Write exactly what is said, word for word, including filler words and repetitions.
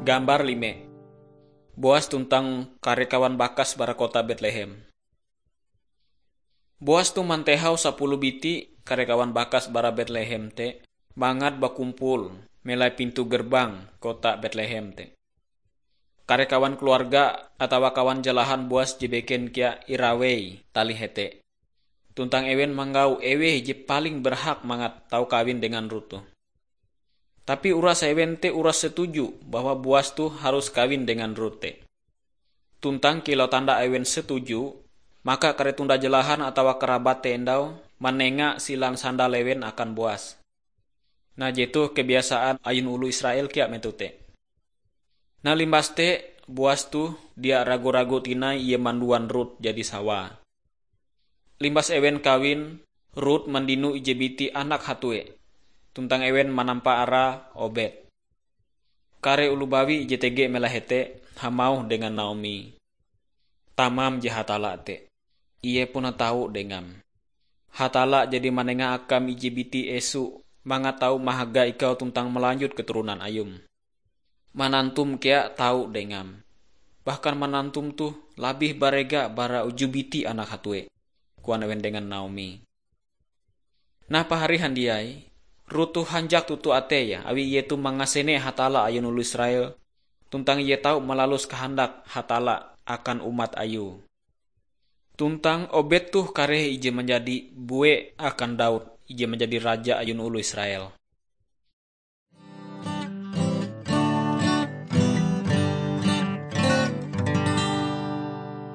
Gambar lime. Boas tuntang kare kawan bakas bara kota Betlehem. Boas toh mantehau sapuluh biti kare kawan bakas bara Betlehem te mangat bakumpul melai pintu gerbang kota Betlehem te. Kare kawan keluarga atawa kawan jalahan Boas je beken kea irawei talih hete. Tuntang ewen manggau eweh je paling berhak mangat tau kawin dengan Rut toh. Tapi uras ewen te uras setuju bahwa Boas toh harus kawin dengan Rut te. Tuntang kilau tanda ewen setuju, maka kare tunda jalahan atawa kerabat te endau manenga silan sandal ewen akan Boas. Nah, jetoh kebiasaan ayun oloh Israel kea metoh te. Nah, limbas te Boas toh dia ragu-ragu tinai ie manduan Rut jadi sawae. Limbas ewen kawin, Rut mandino ije biti anak hatue, tuntang ewen manampa arae Obed. Kare oloh bawi ije tege melai hete hamauh dengan Naomi, "Tamam je Hatalla te, Ie puna tau dengam. Hatalla jadi manenga akam ije biti esu mangat tau mahaga ikau tuntang malanjut keturonan ayum. Manantum kea tau dengam. Bahkan manantum toh labih barega bara uju biti anak hatue," koan ewen dengan Naomi. Nah, pahari handiai, Rut toh hanjak toto ateie awi ie toh mangasene Hatalla ayun oloh Israel, tuntang ie tau malalus kahandak Hatalla akan umat Ayue. Tuntang Obed toh kareh ije manjadi bue akan Daud, ije manjadi raja ayun oloh Israel.